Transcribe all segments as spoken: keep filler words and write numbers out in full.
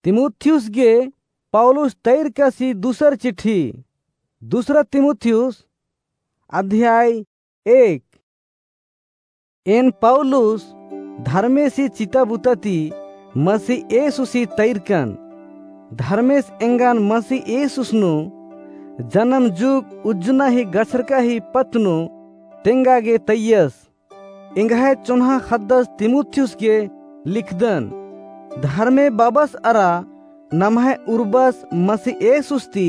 तिमुथियुस गे पौलुस तैरकासी दूसर चिट्ठी। दूसरा तिमुथियुस, अध्याय एक। एन पौलुस धर्मेसी चिता बुता ती मसीह येसुसी तैरकन। धर्मेस एंगन मसीह येसुस नू जनम जुग उज्जना ही गछरका ही पत्त नू तेंगा गे तैयस। एंग्है चोन्हा ख़द्दस तिमुथियुस गे लिखदन। धर्मे बाबस अरा नम्है उर्बस मसीह येसुस ती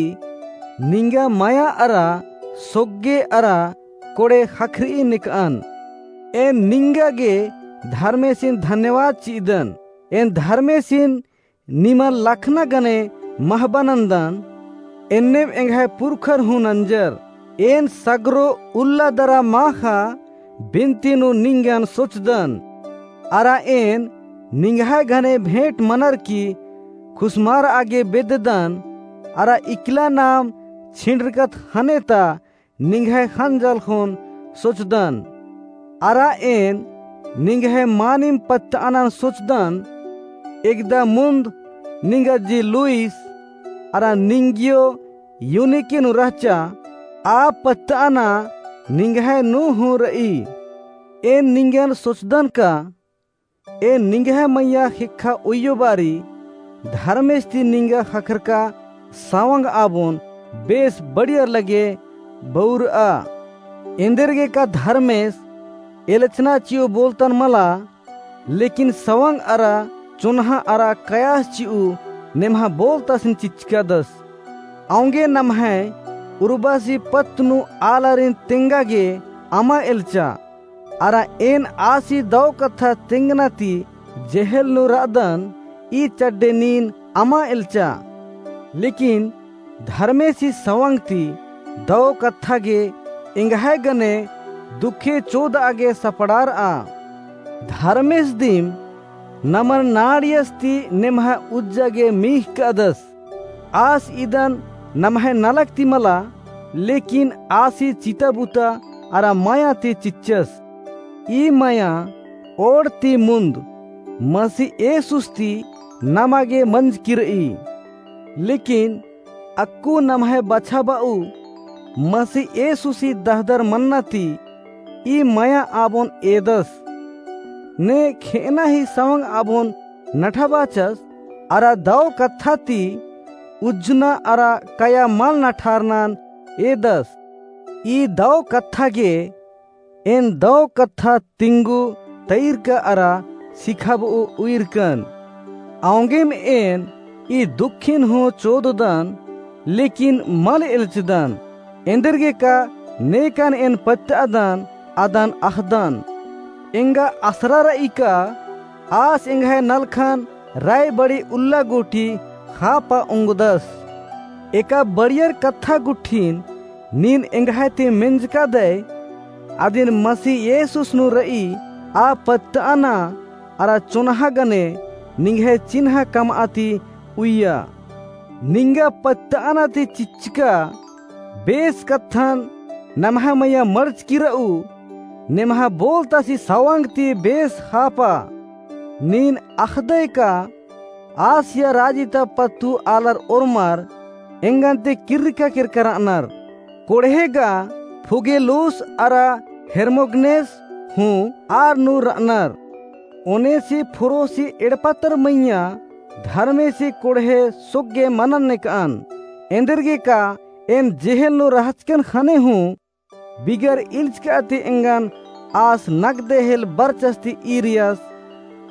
निंगा मया अरा सोग्गे अरा कोड़े ख़क्खरई नेकअन। एन निंगा गे धर्मेसिन धन्यवाद चिअदन। एन धर्मेसिन निमन लखना गने महबा नन्दन, एन्नेम एंग्है पुरखर हूँ नंजर। एन सगरो उल्ला दरा माख़ा बिनती नू निंगन सोचदन। अरा एन निंग्है गने भेंट मनर की खुसमारआ गे बेद्ददन, अरा इकला नाम छिंड़रकत ख़ने ता निंग्है ख़ंजल ख़ोन सोचदन। अरा एन निंग्है मानिम पत्तअनन सोचदन। एकदा मुन्द निंगा जी लूइस, अरा निंगियो यूनिके नू रहचा, आ पत्तअना निंग्है नू हूँ रई। एन निंगन सोचदन का एन निंग्है मइय्याँ ख़ेक्खा उइयो बारी धर्मेस ती निंगा ख़क्खरका सवंग आबोन बेस बढ़ियर लगे बउरआ। एन्देरगे का धर्मेस एलचना चिउ बोलतन मला, लेकिन सवंग अरा चोन्हा अरा कयास चिउ नेम्हा बोलतासिन चिच्चकादस। औंगे नम्है उर्बासी पत्त नू आलारिन तेंगा गे अमा एलचा। अरा एन आसी दौ कत्था तेंगना ती जेहेल नू रअदन, ई चड्डे नीन अमा एलचा। लेकिन धर्मेसी सवंग ती दौ कत्था गे एंग्है गने दुखे चोदआ गे सपड़ारआ। धर्मेस दिम नमन नाड़ियस ती नेम्हा उज्जा गे मीख़कादस। आस इदन नम्है नलख ती मला, लेकिन आसी चिता बुता अरा मया ती चिच्चस। ई मया ओड़ ती मुन्द मसीह येसुस ती नमा गे मंजकी रई। लेकिन अक्कु नम्है बछाबऊ मसीह येसुसी दहदर मन्ना ती ई मया आबोन एदस। ने खेअना ही सवंग आबोन नठाबाचस, अरा दौ कत्था ती उज्जना अरा कया मल नठारनन एदस। ई दौ कत्था गे एन दौ कत्था तिंगु तैरका अरा सिखाब'ओ उइरकन। औंगेम एन ई दुखिन हूँ चोददन, लेकिन मल एल्चदन। एन्देरगेका नेकन एन पत्तअदन, अदन अख़दन। एंगा असरा र'ई का आस एंग्है नलखन रायबड़ी उल्ला गूटी ख़ापा ओंगदस। एका बड़ियर कत्था गुट्ठिन नीन एंग्है ती मेंजकादय, अदिन मसीह येसुस नू र'ई आ पत्तअना अरा चोन्हा गने निंग्है चिन्हा कम'आ ती उइया। निंगा पत्तअना ती चिच्चका बेस कत्थन नम्है मइय्याँ मड़चकी र'ऊ, नेम्हा बोलतासी सवंग ती बेस ख़ापा। नीन अख़दय का आसिया राजी ता पत्तु आलर ओर्मर एंगन ती किर्रका केरका र'अनर। कोड़हे गा फुगेलुस अरा हेर्मोगनेस हूँ आर नू र'अनर। ओनेसिफुरोसी एड़पा तर मइय्याँ धर्मेसी कोड़हे सोग्गे मनन नेक'अन। एन्देरगेका एन जेहेल नू रहचकन ख़ने हूँ बिगर इल्चका ती एंगन आस नगदे हेल बरचस ती ईरियस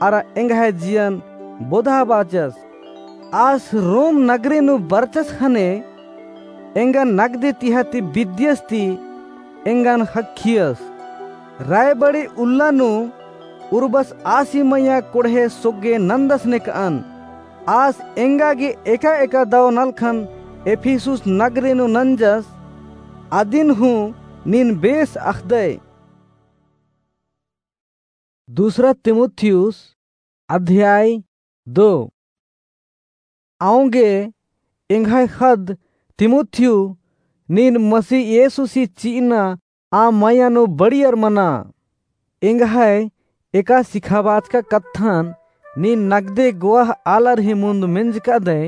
अरा एंग्है जियन बोधाबाचस। आस रोम नगरी नू बरचस ख़ने एंगन नगदे तिहा ती बिद्दियस ती एंगन ख़क्खियस। रायबड़ी उल्ला नू उर्बस आसी मइय्याँ कोड़हे सोग्गे नन्दस नेक'अन। आस एंगा गे एका-एका दौ नलखन एफिसुस नगरी नू नंजस, अदिन हूँ नीन बेस अख़दय। दूसरा तिमुथियुस अध्याय दो। औंगे एंग्है ख़द्द तिमुथियु, नीन मसीह येसुसी चि'अना आ मइय्याँ नू बड़ियर मना। एंग्है एका सिखाबाचका कत्थन नीन नगदे गोवाह आलर ही मुन्द मेंजकादय,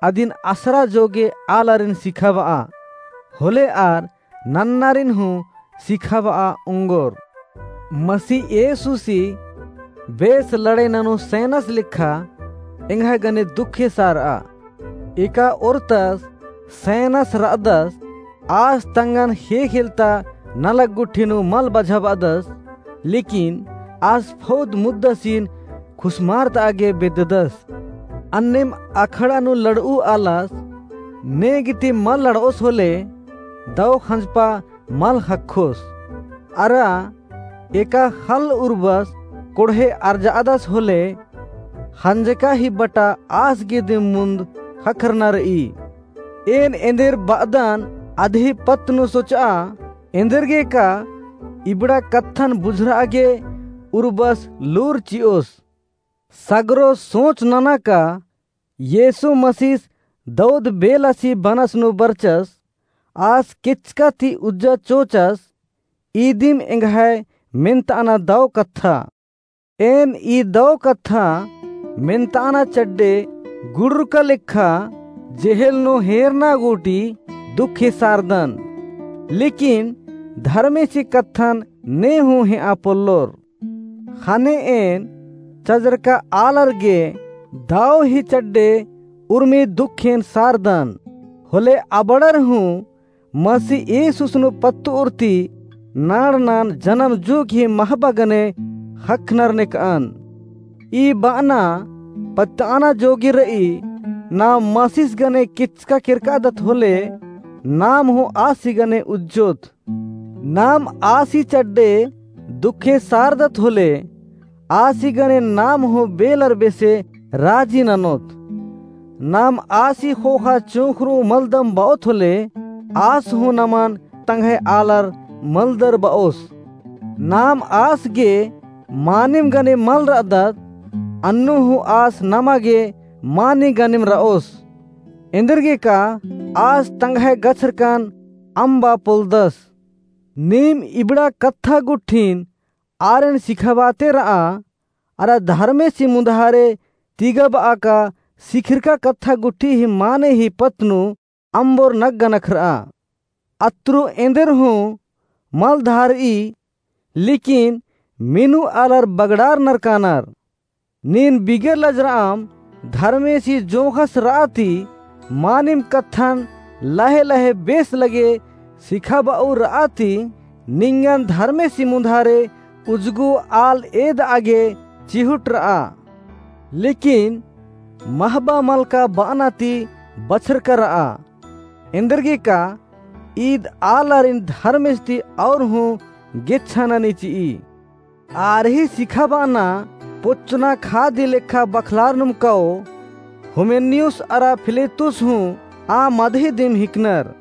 अदिन असरा जोगे आलारिन सिखाबआ, होले आर नन्नारिन हूँ सिखाबआ ओंगोर। मसीह येसुसी बेस लड़ाई ननू सैनस लेखा एंग्है गने दुखे सारआ। एका ओरतस सैनस रअदस, आस तंगन ख़ेख़ेलता नलख गुट्ठी नू मल बझाबअदस, लेकिन आस फौद मुद्दासिन खुसमारतआ गे बेद्ददस। अन्नेम अखड़ा नू लड़ऊ आलस, ने गीती मल लड़ओस होले, दौ ख़ंजपा मल ख़क्खोस। अरा एका ख़ल्ल उर्बस कोड़हे अर्जादस होले, ख़ंजका ही बटा आस गे दिम मुन्द ख़क्खरना रई। एन एन्देर बअदन अदही पत्त नू सोचआ, एन्देरगे का इबड़ा कत्थन बुझरआ गे उर्बस लूर चिओस। सगरो सोच नना का येसु मसीस दौद बेलासी बनस नू बरचस, आस केचका ती उज्जा चोचस, ईदिम एंग्है मेन्तअना दौ कत्था। एन ई दौ कत्था मेन्तअना चड्डे गुड़ुरका लेखा जेहेल नू हेरना गूटी दुखे सारदन। लेकिन धर्मेसी कत्थन ने हूँ हेआ पोल्लोर। ख़ने एन चजरका आलर गे दौ ही चड्डे उर्मी दुखेन सारदन। होले अबड़र हूँ मसीह येसुस नू पत्तउर ती नाड़नन जनम जुग ही महबा गने ख़क्खनर नेकअन। ई बअना पत्तअना जोगी रई, नाम मसीस गने केचका केरकादत होले, नाम हूँ आसी गने उज्जोत। नाम आसी चड्डे दुखे सारदत होले, आसी गने नाम हूँ बेलर बेसे राजी ननोत। नाम आसी ख़ोख़ा चोंख़रू मलदम बओत होले, आस हूँ नमन तंग्है आलर मलदर बओस। नाम आस गे मानिम गने मल रअदत, अन्नु हूँ आस नमा गे मानी गनिम रओस। एन्देरगे का आस तंग्है गछरकन अम्बा पोल्लदस। नीम इबड़ा कत्था गुट्ठिन आरेन सिखाबाते रआ, अरा धर्मेसी मुन्धारे तिगबआ का सिखिरका कत्था गुट्ठी ही माने ही पत्त नू अम्बोर नग्गा नखरआ। अत्रु एन्देर हूँ मल धारई, लेकिन मेनू आलर बगड़ारनर कानर। नीन बिगर लजरअम धर्मेसी जोंख़स रआ ती, मानिम कत्थन लहे लहे बेस लगे सिखाबऊ रआ ती, निंगन धर्मेसी मुन्धारे उजगो आल एदआ गे चिहुट रआ। लेकिन महबा मलका बअना ती बछरका रआ। एन्देरगे का ईद आलारिन धर्मेस ती और हूँ गेच्छा ननी चिई। आर ही सिखाबअना पोच्चना खादी लेखा बखलारनुम कओ, हुमेनियुस अरा फिलेतुस हूँ आ मदही दिम हिकनर।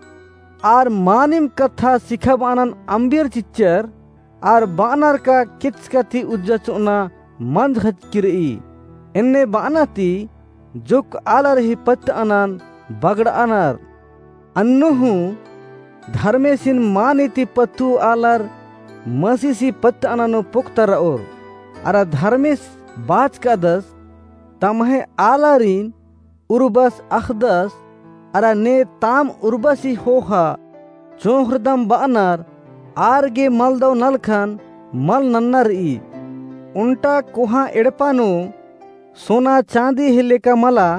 आर मानिम कत्था सिखाबअनन अम्बियर चिच्चर, आर बअनर का केचका ती उज्जा चोअना मंजख़चकी रई। एन्ने बअना ती जोक्क आलर ही पत्तअनन बगड़अनर। अन्नु हूँ धर्मेसिन मानी ती पत्तु आलर मसीसी पत्तअना नू पोक्ता रओर। अरा धर्मेस बाचकादस, तम्है आलारिन उर्बस अख़दस, अरा ने ताम उर्बसी ख़ोख़ा चोंख़रदम बअनर, आर गे मलदौ नलखन मल नन्ना रई। ओन्टा कोहाँ एड़पा नू सोना चाँदी ही लेका मला,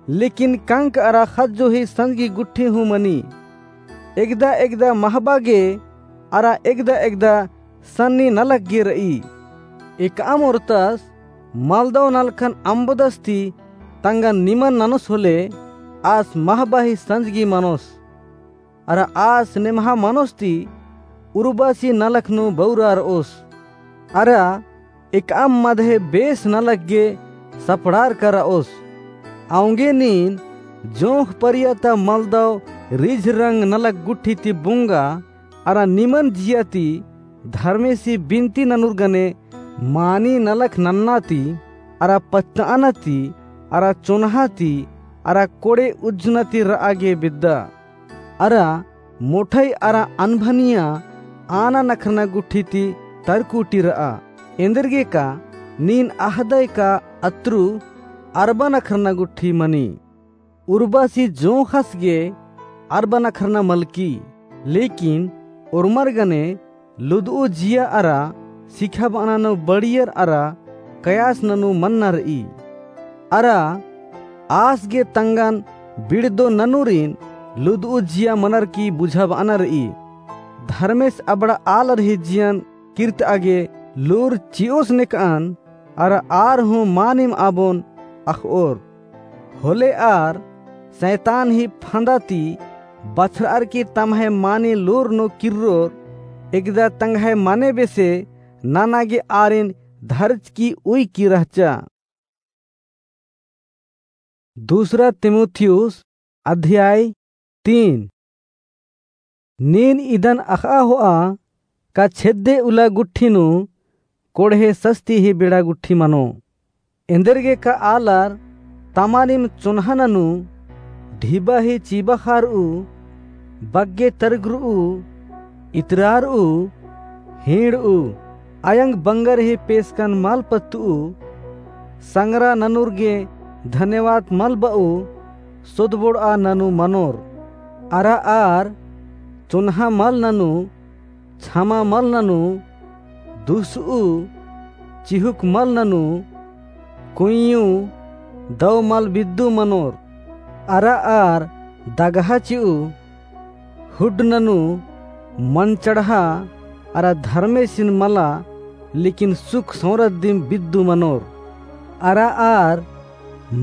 लेकिन कंक अरा ख़ज्जो ही संजगी गुट्ठी हूँ मनी। एकदा एकदा महबा गे अरा एकदा एकदा सन्नी नलख गे रई। एकअम ओर्तस मलदौ नलखन अम्बदस ती तंगन निमन ननोस होले, आस महबा ही संजगी मनोस। अरा आस नेम्हा मनोस ती उर्बसी नलख नू बौरा रओस। अरा एकअम मदहे बेस नलख गे सपड़ारका रओस। औंगे नीन जोंख़ परिया ता मलदौ रिझ रंग नलख गुट्ठी ती बुंगा, अरा निमन जिया ती धर्मेसी बिनती ननुर गने मानी नलख नन्ना ती, अरा पत्तअना ती, अरा चोन्हा ती, अरा कोड़े उज्जना ती रआ गे बेद्दा। अरा मोठई अरा अनभनिया आना नखरना गुट्ठी ती तरकुटी रआ। एन्देरगे का नीन अहदय का अत्रु अरबन अखरना गुट्ठी मनी। उर्बासी जोंख़स गे अरबन अखरना मलकी, लेकिन ओर्मर गने लुदऊ जिया अरा सिखाबअना नू बड़ियर अरा कयास ननू मन्ना रई। अरा आस गे तंगन बिड़दो ननूरिन लुदऊ जिया मनर की बुझाबअना रई। धर्मेस अबड़ा आलर ही जियन किर्तआ गे लूर चिओस नेकअन अरा आर हूँ मानिम आबोन अख़ओर। होले आर सैतान ही फंदा ती बछरअर की तम्है मानी लूर नू किर्रोर, एकदा तंग्है मने बेसे नना गे आरिन धरचकी उइकी रहचा। दूसरा तीमुथियुस अध्याय तीन। नीन इदन अख़आ होआ का छेद्दे उल्ला गुट्ठी नू कोड़हे सस्ती ही बेड़ा गुट्ठी मनो। एन्देरगे का आलर तमानिम चोन्हा ननू, ढिबा ही चिबाख़ारऊ, बग्गे तरगरऊ, इतरारऊ, हींड़ऊ, अयंग बंगर ही पेसकन मल पत्तऊ, संगरा ननुर गे धन्यवाद मल बऊ, सोदबोड़आ ननू मनोर। अरा आर चोन्हा मल ननू, छमा मल ननू, दुसऊ, चिहुक मल ननू, कुइयू, दव मल बिद्दू मनोर। अरा आर दगहा चिऊ, हुड्ड ननू, मन चढ़ा, अरा धर्मेसिन मला, लेकिन सुख सौंरत दिम बिद्दू मनोर। अरा आर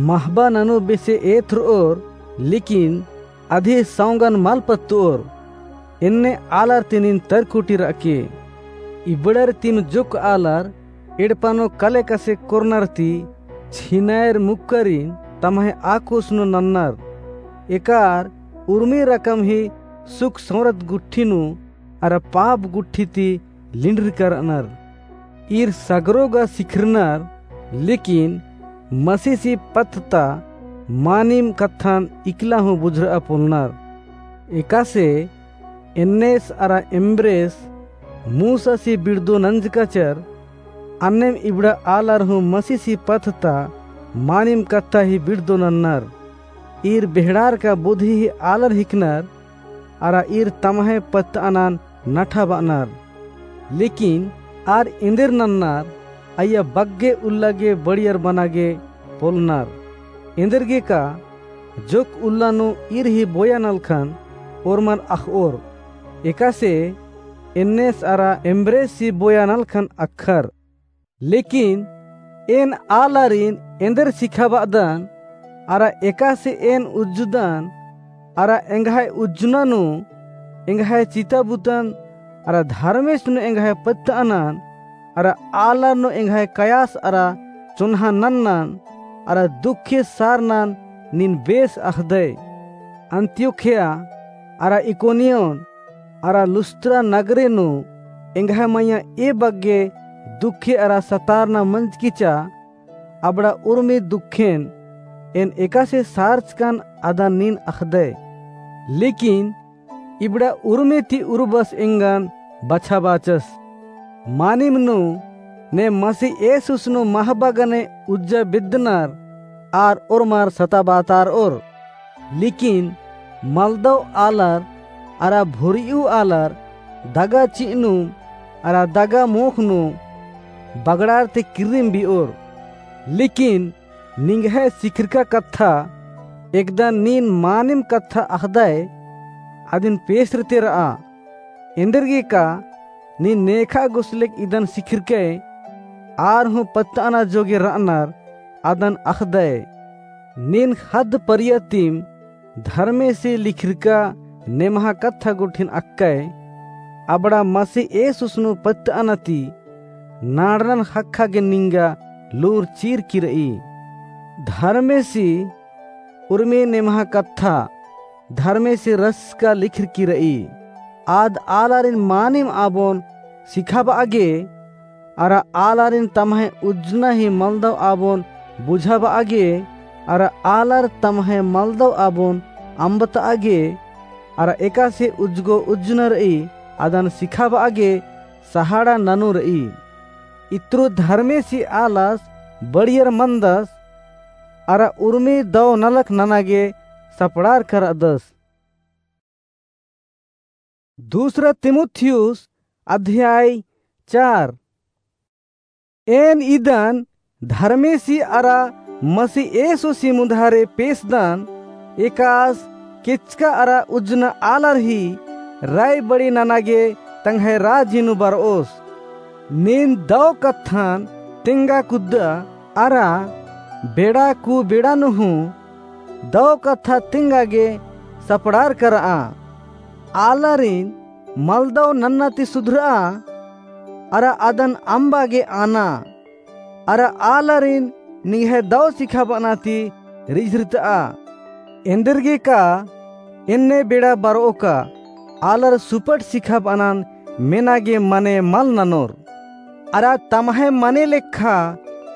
महबा ननू बेसे एथरओर, लेकिन अधी सौंगन मल पत्तओर। एन्ने आलर ती नीन तरकुटी रअके। इबड़र तिम जुक आलर एड़पा नू कले कसे कोरनर ती छिनायर मुक्करिन तम्है आकुस नू नन्नर। एकार उर्मी रकम ही सुख सौंरत गुट्ठी नू अरा पाप गुट्ठी ती लिंड्रकर रअनर। ईर सगरो गा सिखरनर, लेकिन मसीसी पत्त ता मानिम कत्थन इकला हूँ बुझरआ पोलनर। एकासे एन्नेस अरा एम्ब्रेस मूसासी बिड़दो नंजकाचर, अन्नेम इबड़ा आलर हूँ मसीसी पत्त ता मानिम कत्था ही बिड़दो नन्नर। ईर बेहड़ार का बुद्धि ही आलर हिकनर, अरा ईर तम्है पत्तअनन नठा बअनर। लेकिन आर एन्देर नन्नर, अइय्या बग्गे उल्ला गे बड़ियर बना गे पोलनर। एन्देरगे का जोक उल्ला नू ईर ही बोया नलखन ओर्मर अख़ओर। एकासे एन्नेस अरा एम्ब्रेस ही बोया नलखन अख़र। लेकिन एन आलारिन एन्देर सिखाबअदन, अरा एकासे एन उज्जुदन, अरा एंग्है उज्जना नू एंग्है चिताबुतन, अरा धर्मेस नू एंग्है पत्तअनन, अरा आलर नू एंग्है कयास अरा चोन्हा नन्नन, अरा दुखे सारनन नीन बेस अख़दय। अंत्योख्या अरा इकोनियोन अरा लुस्त्रा नगरे नू एंग्है मइय्याँ ए बग्गे दुखे अरा सतारना मंजकी चा, अबड़ा उर्मी दुखेन एन एकासे सारचकन अदन नीन अख़दय। लेकिन इबड़ा उर्मी ती उर्बस एंगन बछाबाचस। मानिम नू ने मसीह येसुस नू महबा गने उज्जा बेद्दनर आर ओर्मर सताबातारओर। लेकिन मलदव आलर अरा भुरियु आलर दगा चि'अ नू अरा दगा मोख़ नू बगड़ार ती किर्रिम बि'ओर। लेकिन निंग्है सिखिरका कत्था, एकदा नीन मानिम कत्था अख़दय, अदिन पेसरते र'आ। एन्देरगे का नीन नेखा गुसलेक इदन सिखिरकय, आर हूँ पत्त'अना जोगे र'अनर अदन अख़दय। नीन ख़द्द परिया तिम धर्मेसी लिखिरका नेम्हा कत्था गुट्ठिन अख़कय, अबड़ा मसीह येसुस नू पत्त'अना ती नाड़नन ख़क्खा गे निंगा लूर चीरकी र'ई। धर्मेसी उर्मी नेम्हा कत्था धर्मेसी रसका लिखिरकी र'ई। आद आलारिन मानिम आबोन सिखाब'आ गे, अरा आलारिन तम्है उज्जना ही मलदव आबोन बुझाब'आ गे, अरा आलर तम्है मलदव आबोन अम्बत'आ गे, अरा एकासे उज्जगो उज्जना र'ई अदन सिखाब'आ गे सहाड़ा ननू र'ई। इत्रु धर्मेसी आलस बड़ियर मनदस, अरा उर्मी दौ नलख नना गे सपड़ारका रअदस। दूसरा तीमुथियुस अध्याय चार। एन इदन धर्मेसी अरा मसी येसोसी मुधारे पेसदन, एकास केचका अरा उज्जना आलर ही राय बड़ी नना गे तंग्है राजी नू बरओस। नीन दौ कत्थन तेंगा कुद्दा अरा बेड़ा कु बेड़ा नू हूँ दौ कत्था तेंगा गे सपड़ारका रआ। आलारिन मलदौ नन्ना ती सुधरआ, अरा अदन अम्बा गे आना, अरा आलारिन निंग्है दौ सिखाबअना ती रिझरतआ। एन्देरगे का एन्ने बेड़ा बरओका आलर सुपट सिखाबअनन मेना गे मने मल ननोर। अरा तम्है मने लेखा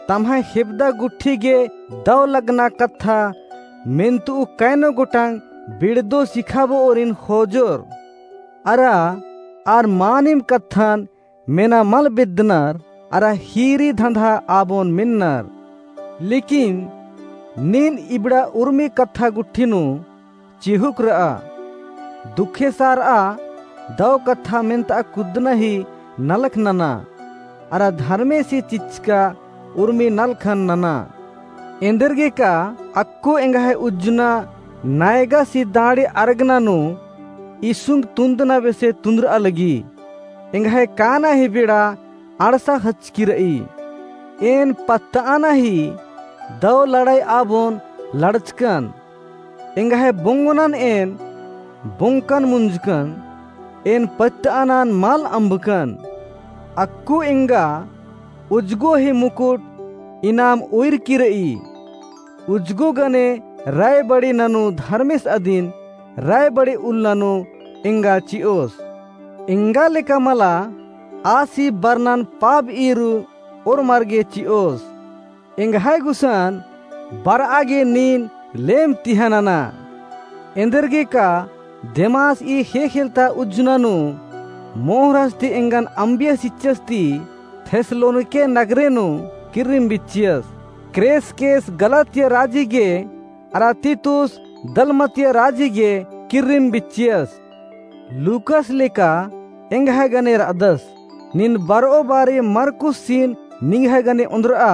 तम्है हेबदा गुट्ठी गे दौ लगना कत्था मेन्तुउ कैनो गोटंग बिड़दो सिखाबओरिन खोजोर। अरा आर मानिम कत्थन मेना मल बेद्दनर, अरा हीरी धंधा आबोन मेन्नर। लेकिन नीन इबड़ा उर्मी कत्था गुट्ठी नू चिहुक रआ। दुखे सारआ दौ कत्था मेन्तआ कुद्दना ही नलख नना, अरा धर्मेसी चिच्चका उर्मी नलखन नना। एन्देरगे का अक्कु एंग्है उज्जना नायगासी दाड़े अरगना नू इसुंग तुन्दना बेसे तुन्दरआ लगी। एंग्है काना ही बेड़ा अंड़सा हचकी रई। एन पत्तअना ही दौ लड़ाई आबोन लड़चकन। एंग्है बोंगोनन एन बोंकन मुंजकन, एन पत्तअनन मल अम्बकन। अक्कु एंगा उज्जगो ही मुकुट इनाम उइरकी रई। उज्जगो गने राय बड़ी ननू धर्मेस अदिन राय बड़ी उल्ला नू एंगा चिओस। एंगा लेका मला आसी बरनन पाब ईरू ओर्मर गे चिओस। एंग्है गुसन बरआ गे नीन लेम तिहा नना। एन्देरगे का देमास ई ख़ेख़ेलता उज्जना नू मोहरस ती एंगन अम्बियस चिच्चस ती थेस्सलोनिके नगरे नू किर्रिम बिच्चियस। क्रेसकेस गलातिया राजी गे अरा तीतुस दलमतिया राजी गे किर्रिम बिच्चियस। लूकस लेका एंग्है गने रअदस। नीन बरओ बारी मरकुसिन निंग्है गने ओन्द्रआ।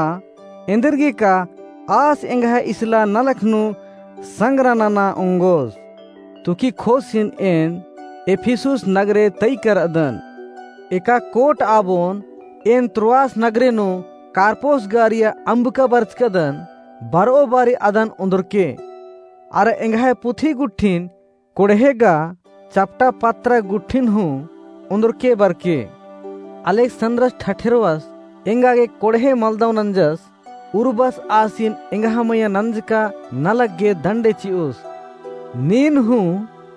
एन्देरगे का आस एंग्है इसला नलख नू संग्रा नना ओंगोस। तुखिख़ोसिन एन एफिसुस नगरे तइका रअदन। एका कोट आबोन एन त्रोआस नगरे नू कार्पोस गारिया अम्बका बरचकदन, बरओ बारी अदन ओन्द्रके। अरा एंग्है पुथी गुट्ठिन कोड़हे गा चपटा पत्रा गुट्ठिन हूँ ओन्द्रके बरके। अलेक्सन्द्रस ठठेरवस एंगा गे कोड़हे मलदौ नंजस। उर्बस आसिन एंग्है मइय्याँ नंजका नलख गे दंडे चिओस। नीन हूँ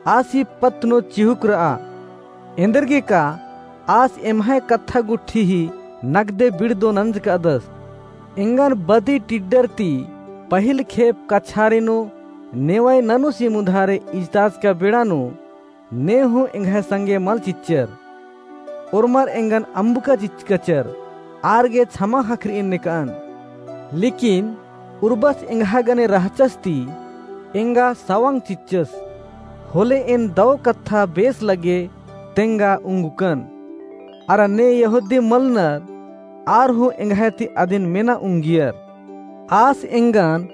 आसी पत्त नू चिहुक रआ। एन्देरगे का आस एम्है कत्था गुट्ठी ही नगदे बिड़दो नंजकादस। एंगन बदी टिड्डर ती पहिल खेप कछारी नू नेवई ननुसी मुधारे इजताचका बेड़ा नू ने हूँ एंग्है संगे मल चिच्चर। ओर्मर एंगन अम्बका चिच्चकचर, आर गे छमा ख़क्खरई नेकअन। लेकिन उर्बस एंग्है गने रहचस ती एंगा सवंग चिच्चस। होले एन दौ कत्था बेस लगे तेंगा उंगुकन। अरा ने यहूदी मलनर आर हूँ एंग्है ती अदिन मेना उंगियर। आस एंगन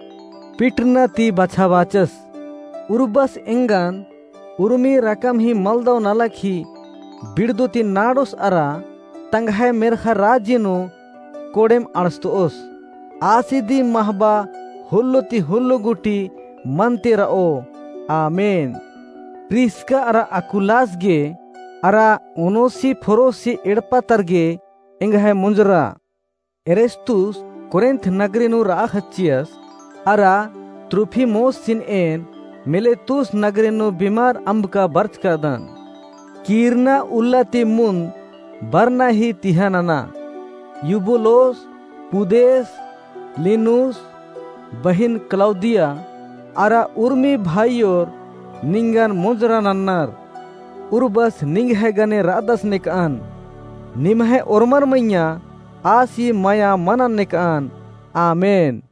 पिटरना ती बछाबाचस। उर्बस एंगन उर्मी रकम ही मलदौ नलख ही बिड़दो ती नाड़ोस अरा तंग्है मेर्ख़ा राजी नू कोड़ेम अंड़सतओस। आसी दिम महबा हुल्लो ती हुल्लो गूटी मन्ते रओ। आमेन। प्रिस्का अरा अकुलास गे अरा ओनेसिफोरोस ही एड़पा तरगे एंग्है मुंजरा। एरेस्तुस कोरिन्थ नगरी नू रआ ख़च्चियस, अरा त्रुफिमोसिन एन मिलेतुस नगरी नू बिमार अम्बका बरचकादन। कीरना उल्ला ती मुन्द बरना ही तिहा नना। यूबुलोस, पुदेस, लिनुस, बहिन क्लौदिया, अरा उर्मी भाईयोर निंगन मुंजरा नन्नर। उर्बस निंग्है गने रअदस नेकअन। निम्है ओर्मर मइय्याँ आसी मया मनन नेकअन। आमेन।